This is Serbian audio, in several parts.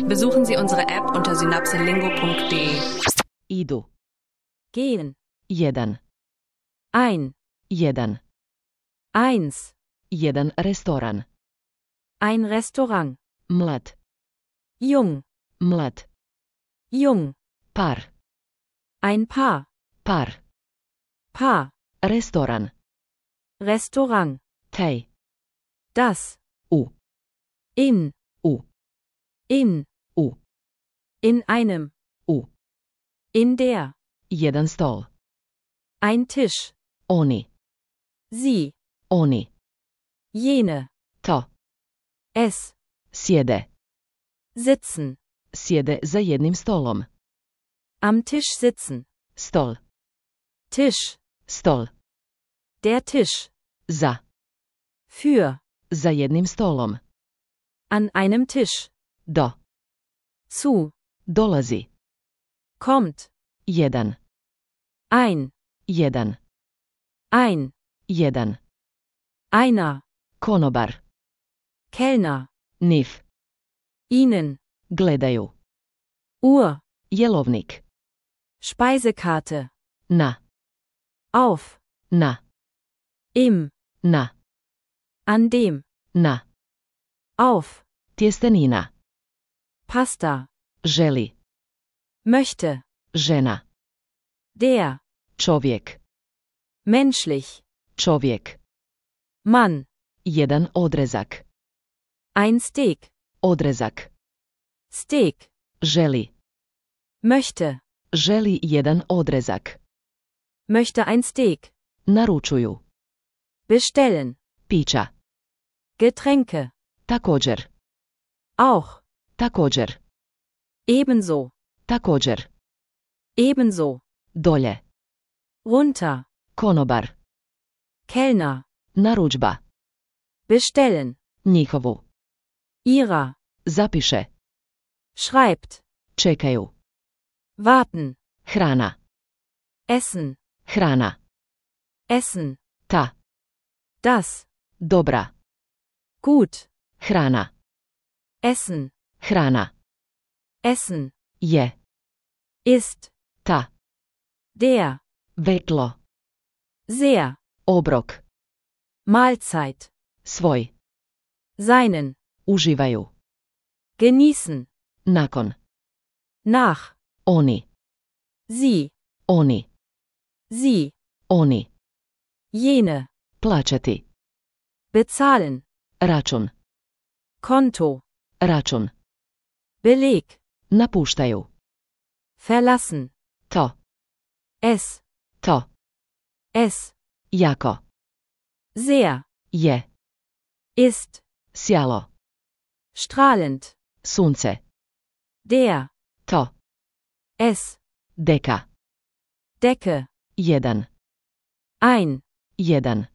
Besuchen Sie unsere App unter synapselingo.de. Idu. Gehen. 1. Ein. 1. Eins. 1 restoran. Ein Restaurant. Mlad. Jung. Mlad. Jung. Par. Ein Paar. Par. Paar. Restoran. Restaurant. Tej. Das. U. In. U. In. U. In einem. U. In der. 1 stol. Ein Tisch. Oni. Sie. Oni. Jene. To. Es. Sjede. Sitzen. Sjede za jednim stolom. Am Tisch sitzen. Stol. Tisch. Stol. Der Tisch. Za. Für. Za jednim stolom. An einem Tisch. Do. Zu. Dolazi. Kommt. 1. Ein. 1. Ein. 1. Einer. Konobar. Kellner. Nif. Ihnen. Gledaju. Uhr. Jelovnik. Speisekarte. Na. Auf. Na. Im. Na. An dem. Na. Auf. Tjestenina. Pasta. Želi. Möchte. Žena. Der. Čovjek. Menschlich. Čovjek. Mann. 1 odrezak. Ein Steak. Odrezak. Steak. Želi. Möchte. Želi 1 odrezak. Möchte ein Steak. Naručuju. Bestellen. Pića. Getränke. Također. Auch. Također. Ebenso. Također. Ebenso. Dolje. Runter. Konobar. Kellner. Narudžba. Bestellen. Njihovu. Ihrer. Zapiše. Schreibt. Čekaju. Warten. Hrana. Essen. Hrana. Essen. Ta. Das. Dobra. Gut. Hrana. Essen. Hrana. Essen. Je. Ist. Ta. Der. Vetlo. Sehr. Obrok. Mahlzeit. Svoj. Seinen. Uživaju. Genießen. Nakon. Nach. Oni. Sie. Oni. Sie. Oni. Jene. Plaćati. Bezahlen. Račun. Konto. Račun. Beleg. Napuštaju. Verlassen. To. Es. To. Es. Jako. Sehr. Je. Ist. Sjalo. Strahlend. Sunce. Der. To. Es. Deka. Decke. 1. Ein. 1.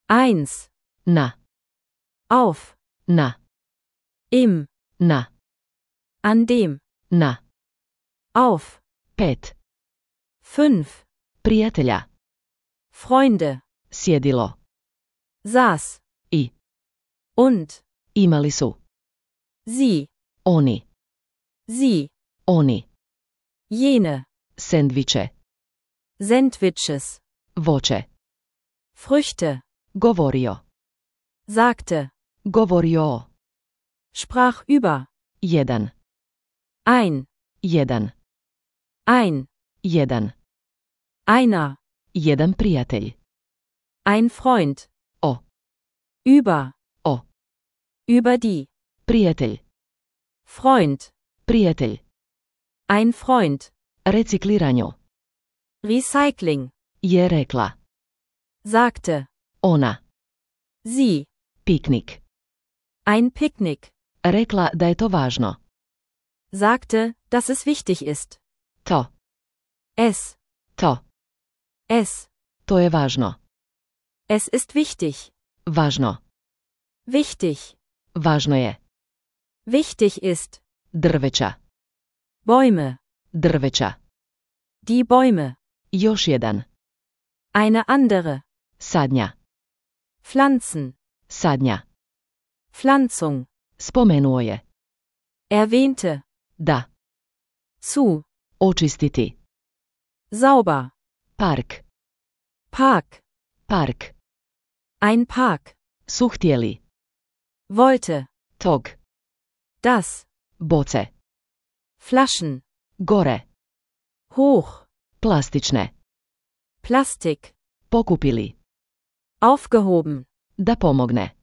Eins. Na. Auf. Na. Im. Na. An dem. Na. Auf. 5. 5. Prijatelja. Freunde. Sjedilo. Saß. I. Und. Imali su. Sie. Oni. Sie. Oni. Jene. Sendviče. Sandwiches. Voće. Früchte. Govorio. Sagte. Govorio. Sprach über. 1. Ein. 1. Ein. 1. Einer. 1 prijatelj. Ein Freund. O. Über. O. Über die. Prijatelj. Freund. Prijatelj. Ein Freund. Recikliranju. Recycling. Je rekla. Sagte. Ona. Sie. Piknik. Ein Picknick. Rekla da je to važno. Sagte, dass es wichtig ist. To. Es. To. Es. To je važno. Es ist wichtig. Važno. Wichtig. Važno je. Wichtig ist. Drveća. Bäume. Drveća. Die Bäume. Još jedan. Eine andere. Sadnja. Pflanzen. Sadnja. Pflanzung. Spomenuo je. Erwähnte. Da. Zu. Očistiti. Sauber. Park. Park. Park. Ein Park. Su htjeli. Wollte. Tog. Das. Boce. Flaschen. Gore. Hoch. Plastične. Plastik. Pokupili. Aufgehoben. Da pomogne.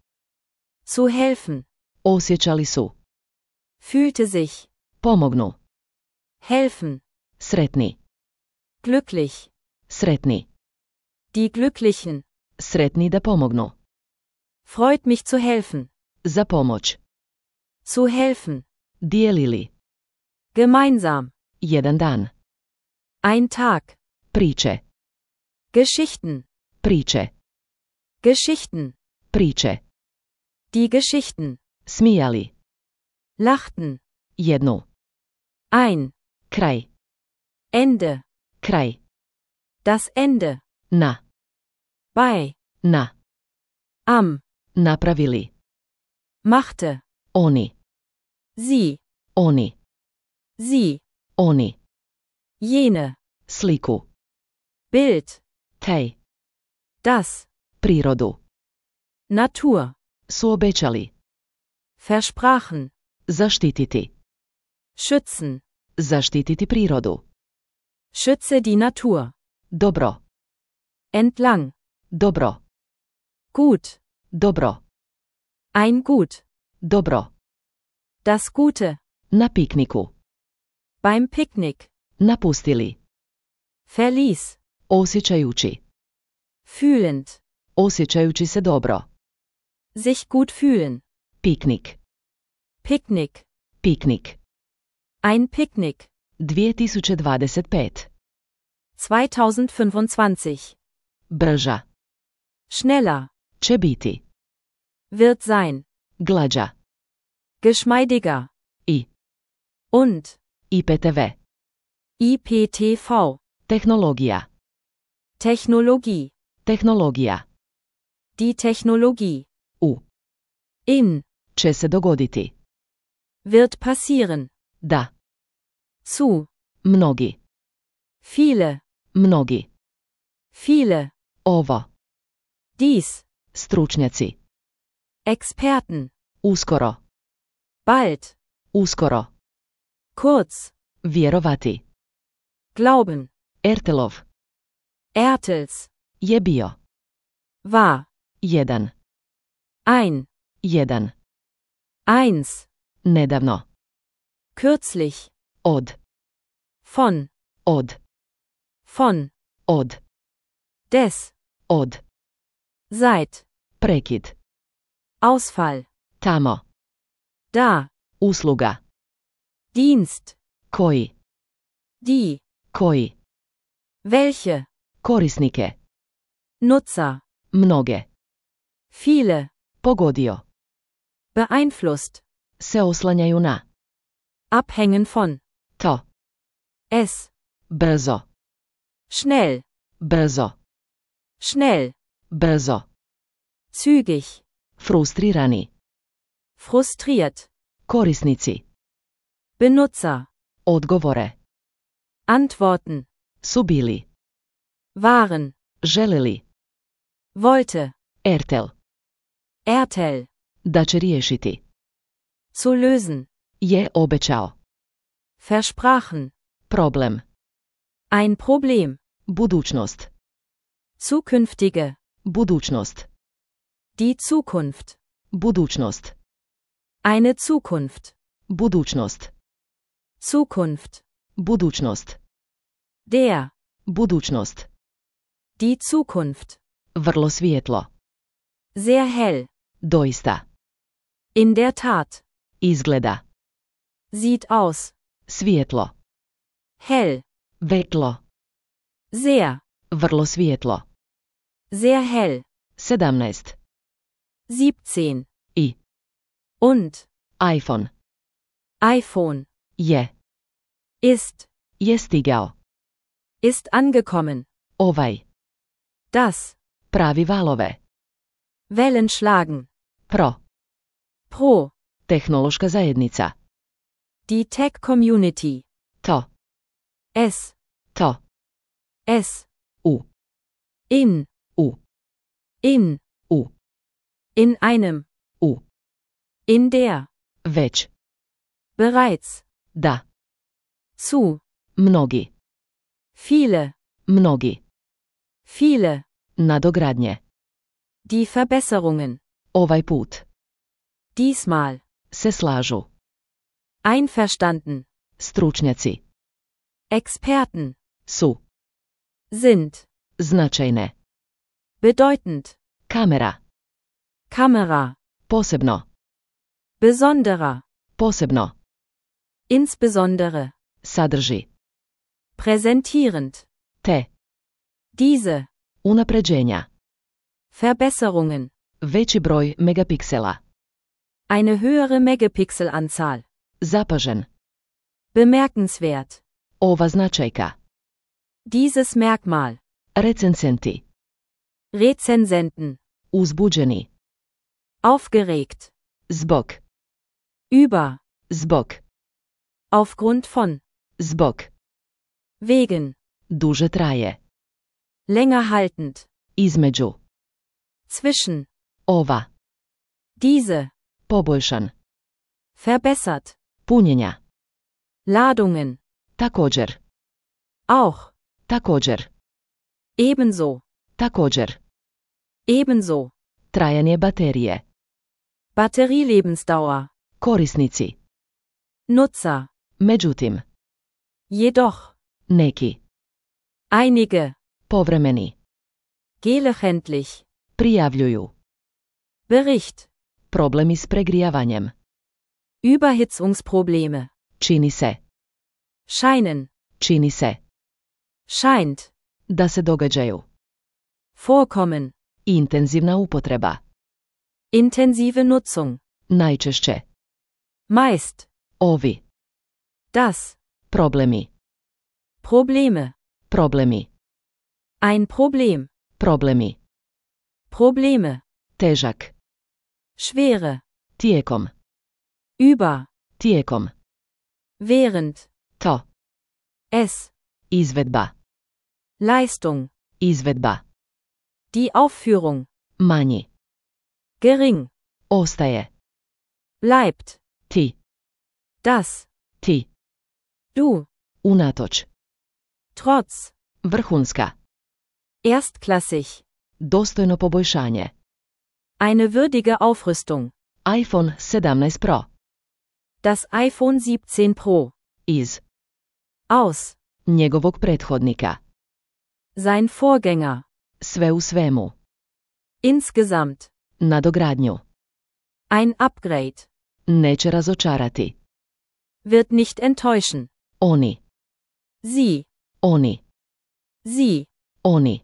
Zu helfen. Osjećali su. Fühlte sich. Pomognu. Helfen. Sretni. Glücklich. Sretni. Die Glücklichen. Sretni da pomognu. Freut mich zu helfen. Za pomoć. Zu helfen. Dijelili. Gemeinsam. Jedan dan. Ein Tag. Priče. Geschichten. Priče. Geschichten. Priče. Die Geschichten. Smijali. Lachten. Jednu. Ein. Kraj. Ende. Kraj. Das Ende. Na. Bei. Na. Am. Napravili. Machte. Oni. Sie. Oni. Sie. Oni. Jene. Sliku. Bild. Taj. Das. Prirodu. Natur. Su obećali. Versprachen. Zaštititi. Schützen. Zaštititi prirodu. Schütze die Natur. Dobro. Entlang. Dobro. Gut. Dobro. Ein Gut. Dobro. Das Gute. Na pikniku. Beim Picknick. Napustili. Verließ. Osjećajući. Fühlend. Osjećajući se dobro. Sich gut fühlen. Piknik. Picknick. Piknik. Ein Picknick. 2025. 2025. Brža. Schneller. Će biti. Wird sein. Glađa. Geschmeidiger. I. Und. IPTV. IPTV. Tehnologija. Technologie. Tehnologija. Die Technologie. U. In. Će se dogoditi. Wird passieren. Da. Zu. Mnogi. Viele. Mnogi. Viele. Ovo. Dies. Stručnjaci. Experten. Uskoro. Bald. Uskoro. Kurz. Vjerovati. Glauben. Ertelov. Ertels. Je bio. War. Jedan. Ein. Jedan. Eins. Nedavno. Kürzlich. Od. Von. Od. Von. Od. Des. Od. Seit. Prekid. Ausfall. Tamo. Da. Usluga. Dienst. Koji. Die. Koji. Welche. Korisnike. Nutzer. Mnoge. Viele. Pogodio. Beeinflusst. Se oslanjaju na. Abhängen von. To. Es. Brzo. Schnell. Brzo. Schnell. Brzo. Zügig. Frustrirani. Frustriert. Korisnici. Benutzer. Odgovore. Antworten. Su bili. Waren. Želeli. Wollte. Ertel. Ertel. Da će riješiti. Zu lösen. Je obećao. Versprachen. Problem. Ein Problem. Budućnost. Zukünftige. Budućnost. Die Zukunft. Budućnost. Eine Zukunft. Budućnost. Zukunft. Budućnost. Der. Budućnost. Die Zukunft. Vrlo svijetlo. Sehr hell. Doista. In der Tat. Izgleda. Sieht aus. Svijetlo. Hell. Vetlo. Sehr. Vrlo svijetlo. Sehr hell. 17. 17. I. Und. iPhone. iPhone. Je. Ist. Je stigao. Ist angekommen. Ovaj. Das. Pravi valove. Wellen schlagen. Pro. Pro. Tehnološka zajednica. Die Tech-Community. To. Es. To. Es. U. In. U. In. U. In einem. U. In der. Već. Bereits. Da. Zu. Mnogi. Viele. Mnogi. Viele. Nadogradnje. Die Verbesserungen. Ovaj put. Diesmal. Se slažu. Einverstanden. Stručnjaci. Experten. Su. Sind. Značajne. Bedeutend. Kamera. Kamera. Posebno. Besonderer. Posebno. Insbesondere. Sadrži. Präsentierend. Te. Diese. Unapređenja. Verbesserungen. Veći broj megapiksela. Eine höhere Megapixelanzahl. Zapažen. Bemerkenswert. Ova značajka. Dieses Merkmal. Recenzenti. Rezensenten. Uzbuđeni. Aufgeregt. Zbog. Über. Zbog. Aufgrund von. Zbog. Wegen. Duže traje. Länger haltend. Između. Zwischen. Ova. Diese. Poboljšan. Verbessert. Punjenja. Ladungen. Također. Auch. Također. Ebenso. Također. Ebenso. Trajanje baterije. Batterielebensdauer. Korisnici. Nutzer. Međutim. Jedoch. Neki. Einige. Povremeni. Gelegentlich. Prijavljuju. Bericht. Problemi s pregrijavanjem. Überhitzungsprobleme. Čini se. Scheinen. Čini se. Scheint. Da se događaju. Vorkommen. Intenzivna upotreba. Intensive Nutzung. Najčešće. Meist. Ovi. Das. Problemi. Probleme. Problemi. Ein Problem. Problemi. Probleme. Težak. Schwere. Tijekom. Über. Tijekom. Während. To. Es. Izvedba. Leistung. Izvedba. Die Aufführung. Manji. Gering. Ostaje. Bleibt. Ti. Das. Ti. Du. Unatoč. Trotz. Vrhunska. Erstklassig. Dostojno poboljšanje. Eine würdige Aufrüstung. iPhone 17 Pro. Das iPhone 17 Pro. Iz. Aus. Njegovog prethodnika. Sein Vorgänger. Sve u svemu. Insgesamt. Nadogradnju. Ein Upgrade. Neće razočarati. Wird nicht enttäuschen. Oni. Sie. Oni. Sie. Oni.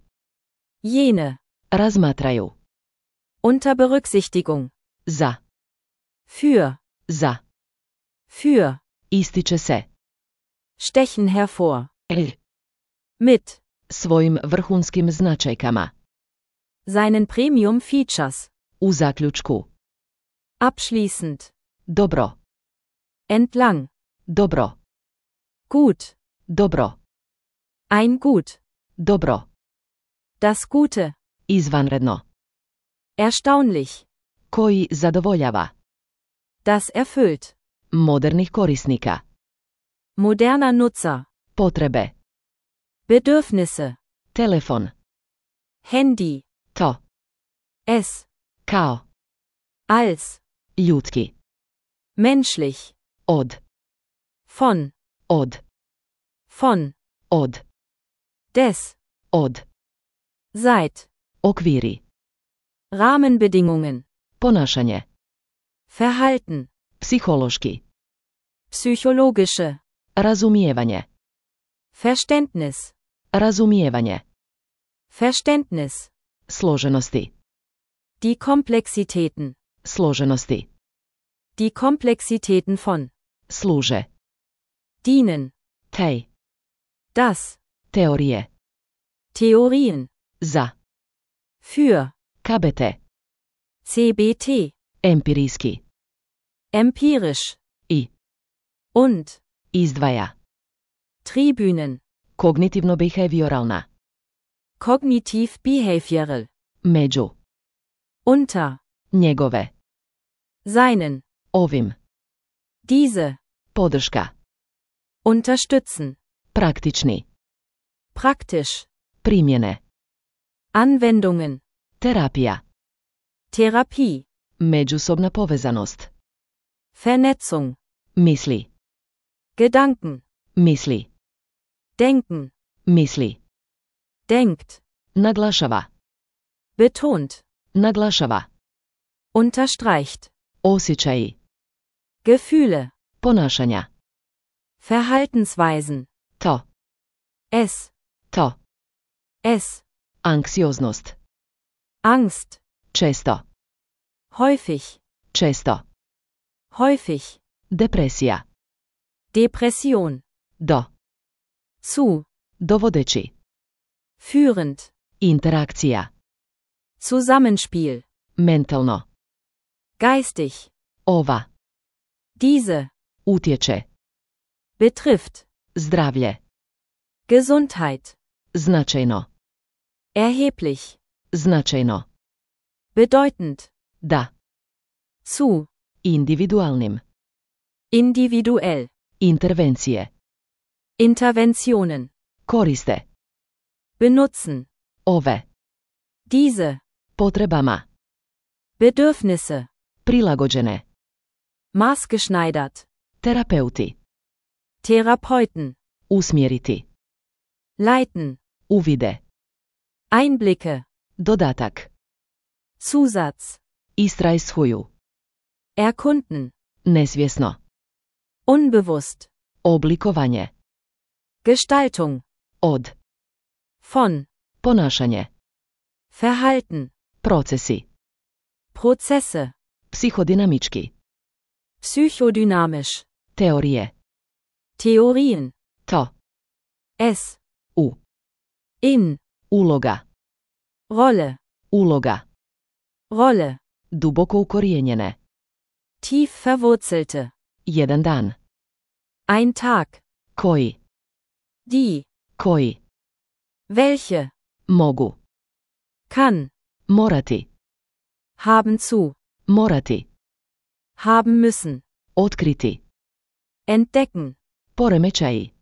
Jene. Razmatraju. Unter Berücksichtigung. Za. Für. Za. Für. Ističe se. Stechen hervor. L. Mit. Svojim vrhunskim značajkama. Seinen Premium Features. U zaključku. Abschließend. Dobro. Entlang. Dobro. Gut. Dobro. Ein Gut. Dobro. Das Gute. Izvanredno. Erstaunlich. Koji zadovoljava. Das erfüllt. Modernih korisnika. Moderner Nutzer. Potrebe. Bedürfnisse. Telefon. Handy. To. Es. Kao. Als. Ljudski. Menschlich. Od. Von. Od. Von. Od. Des. Od. Seit. Okviri. Rahmenbedingungen. Ponašanje. Verhalten. Psihološki. Psychologische. Razumijevanje. Verständnis. Razumijevanje. Verständnis. Složenosti. Die Komplexitäten. Složenosti. Die Komplexitäten von. Služe. Dienen. Tej. Das. Teorije. Theorien. Za. Für. KBT. CBT. Empirijski. Empirisch. I. und, izdvaja, Tribünen, kognitivno-behavioralna, kognitiv-behavioral, među, unter, njegove, seinen, ovim, diese, podrška, unterstützen, praktični, praktisch, primjene, Anwendungen, terapija, Therapie, međusobna povezanost, Vernetzung, misli, Gedanken, misli, denken, misli, denkt, naglašava, betont, naglašava, unterstreicht, osjećaji, Gefühle, ponašanja, Verhaltensweisen, to, to, es, anksioznost, Angst, često, häufig, često, häufig, depresija, Depression, do, zu, dovodeći, führend, interakcija, Zusammenspiel, mentalno, geistig, ova, diese, utječe, betrifft, zdravlje, Gesundheit, značajno, erheblich, značajno, bedeutend, da, zu, individualnim, individuell, intervencije, Interventionen, koriste, benutzen, ove, diese, potrebama, Bedürfnisse, prilagođene, maßgeschneidert, terapeuti, Therapeuten, usmjeriti, leiten, uvide, Einblicke, dodatak, Zusatz, istrajshuju, erkunden, nesvjesno, unbewusst, oblikovanje, Gestaltung, od, von, ponašanje, Verhalten, procesi, Prozesse, psihodinamički, psychodynamisch, teorije, Theorien, to, es, u, in, uloga, Rolle, uloga, Rolle, duboko ukorijenjene, tief verwurzelte, jedan dan, ein Tag, koji, die, koji, welche, mogu, kann, morati, haben zu, morati, haben müssen, otkriti, entdecken, poremećaji,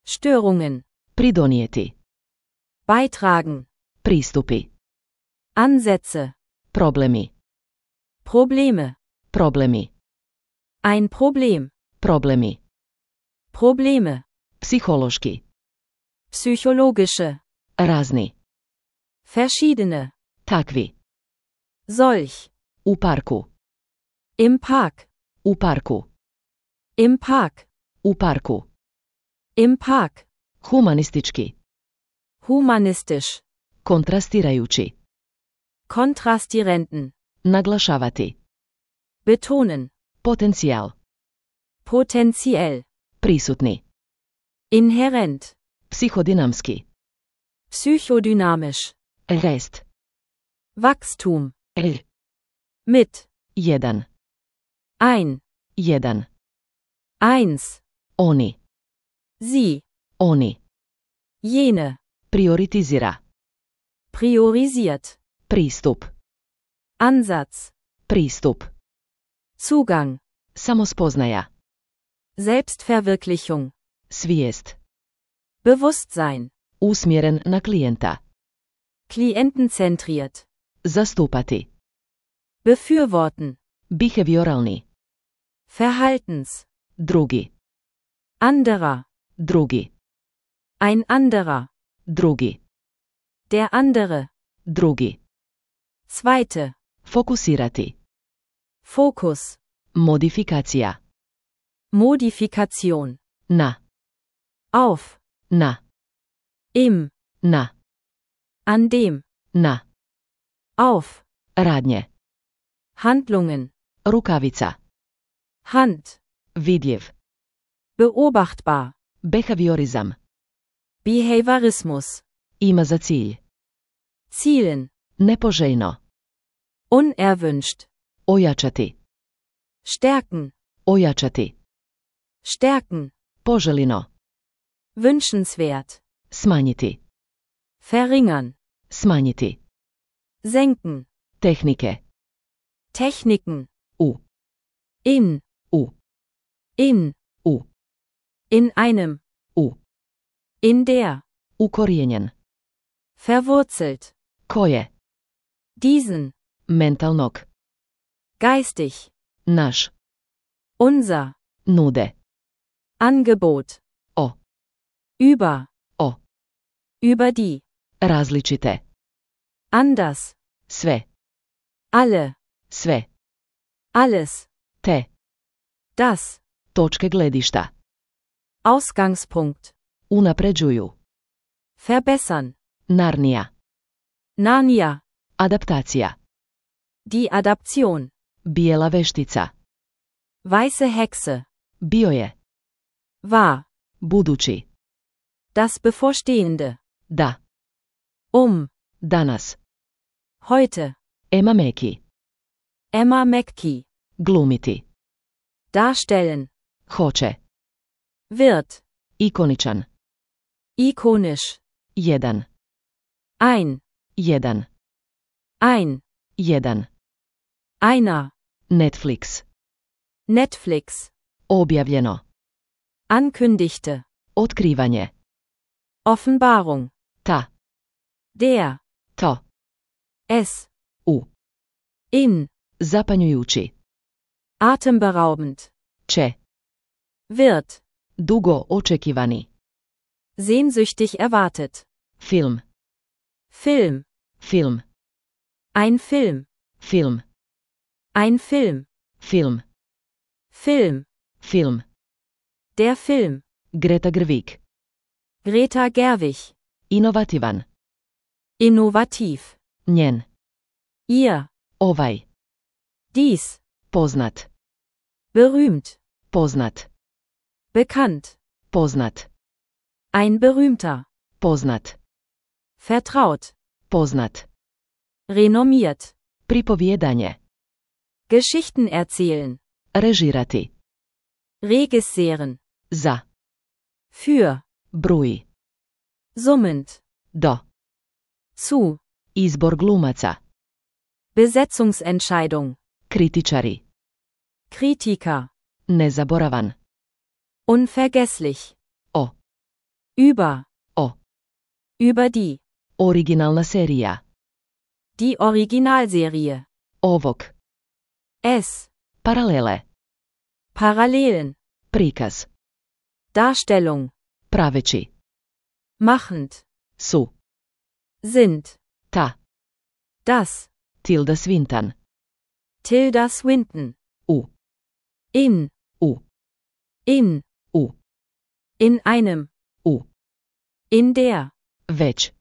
Störungen, pridonijeti, beitragen, pristupi, Ansätze, problemi, Probleme, problemi, ein Problem, problemi, Probleme, psihološki, psychologische, razni, verschiedene, takvi, solch, u parku, im Park, u parku, im Park, u parku, im Park, humanistički, humanistisch, kontrastirajući, kontrastierenden, naglašavati, betonen, potencijal, potenziell, prisutni, inhärent, psihodinamski, psychodynamisch, rest, Wachstum, r, mit, jedan, ein, jedan, eins, oni, sie, oni, jene, prioritizira, priorisiert, pristup, Ansatz, pristup, Zugang, samospoznaja, Selbstverwirklichung, svijest, Bewusstsein, usmjeren na klijenta, klientenzentriert, zastupati, befürworten, behavioralni, Verhaltens, drugi, anderer, drugi, ein anderer, drugi, der andere, drugi, zweite, fokusirati, Fokus, modifikacija, Modifikation, na, auf, na, im, na, an dem, na, auf, radnje, Handlungen, rukavica, Hand, vidljiv, beobachtbar, behaviorizam, Behaviorismus, ima za cilj, zielen, nepoželjno, unerwünscht, ojačati, stärken, ojačati, Stärken. Poželjno. Wünschenswert. Smanjiti. Verringern. Smanjiti. Senken. Tehnike. Techniken. U. In. U. In. U. In einem. U. In der. Ukorijenjen. Verwurzelt. Koje. Diesen. Mentalnog. Geistig. Naš. Unser. Nude. Angebot. O. Über. O. Über die. Različite. Anders. Sve. Alle. Sve. Alles. Te. Das. Točke gledišta. Ausgangspunkt. Unapređuju. Verbessern. Narnija. Narnia. Adaptacija. Die Adaption. Bijela veštica. Weiße Hexe. Bio je. War. Budući. Das Bevorstehende. Da. Danas. Heute. Emma Mackey. Emma Mackey. Glumiti. Darstellen. Hoće. Wird. Ikoničan. Ikonisch. Jedan. Ein. Jedan. Ein. Jedan. Einer. Netflix. Netflix. Objavljeno. Ankündigte. Otkrivanje. Offenbarung. Ta. Der. To. Es. U. In. Zapanjujući. Atemberaubend. Će. Wird. Dugo očekivani. Sehnsüchtig erwartet. Film. Film. Film. Ein Film. Film. Ein Film. Film. Film. Film. Der Film. Greta Gerwig. Greta Gerwig. Inovativan. Innovativ. Njen. Ihr. Ovaj. Dies. Poznat. Berühmt. Poznat. Bekannt. Poznat. Ein berühmter. Poznat. Vertraut. Poznat. Renommiert. Pripovijedanje. Geschichten erzählen. Režirati. Regisseeren. Za. Für. Bruji. Summend. Do. Zu. Izbor glumaca. Besetzungsentscheidung. Kritičari. Kritiker. Nezaboravan. Unvergesslich. O. Über. O. Über die. Originalna serija. Die Originalserie. Ovog. Es. Paralele. Parallelen. Prikaz. Darstellung. Praveći. Machend. Su. Sind. Ta. Das. Tilda Swinton. Tilda Swinton. U. In. U. In. U. In einem. U. In der. Već.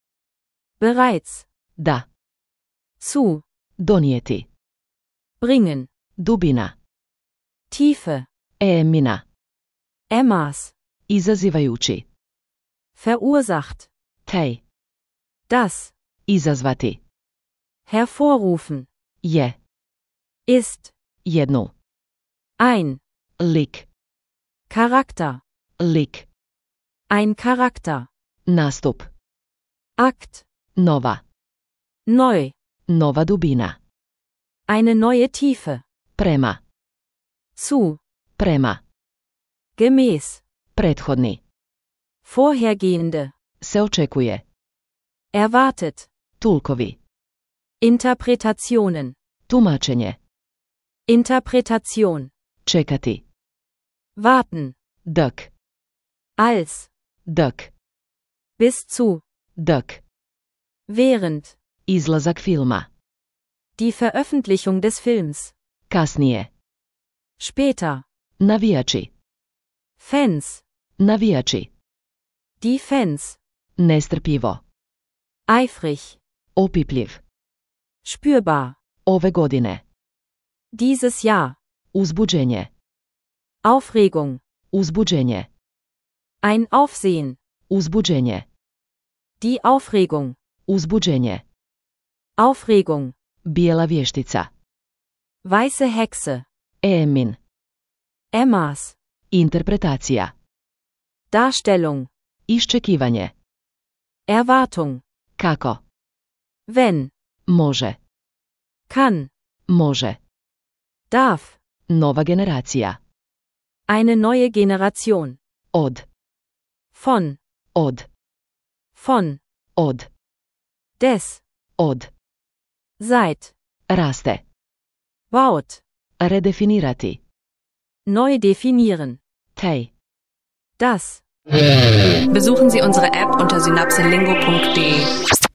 Bereits. Da. Zu. Donijeti. Bringen. Dubina. Tiefe. Emina. Emmas. Izazivajući. Verursacht. Tej. Das. Izazvati. Hervorrufen. Je. Ist. Jednu. Ein. Lik. Charakter. Lik. Ein Charakter. Nastup. Akt. Nova. Neu. Nova dubina. Eine neue Tiefe. Prema. Zu. Prema. Gemäß. Prethodni. Vorhergehende. Se očekuje. Erwartet. Tulkovi. Interpretationen. Tumačenje. Interpretation. Čekati. Warten. Dök. Als. Dök. Bis zu. Dök. Während. Izlazak filma. Die Veröffentlichung des Films. Kasnije. Später. Navijači. Fans. Navijači. Die Fans. Nestrpljivo. Eifrig. Opipljiv. Spürbar. Ove godine. Dieses Jahr. Uzbuđenje. Aufregung. Uzbuđenje. Ein Aufsehen. Uzbuđenje. Die Aufregung. Uzbuđenje. Aufregung. Bijela vještica. Weiße Hexe. Emin. Emmas. Interpretacija. Darstellung, Iščekivanje. Erwartung, Kako? wenn, Može. kann, Može. darf, Nova generacija. eine neue Generation, Od. von, Od. des, Od. seit, Raste. baut, Redefinirati. neu definieren, Tej. das. Besuchen Sie unsere App unter synapselingo.de.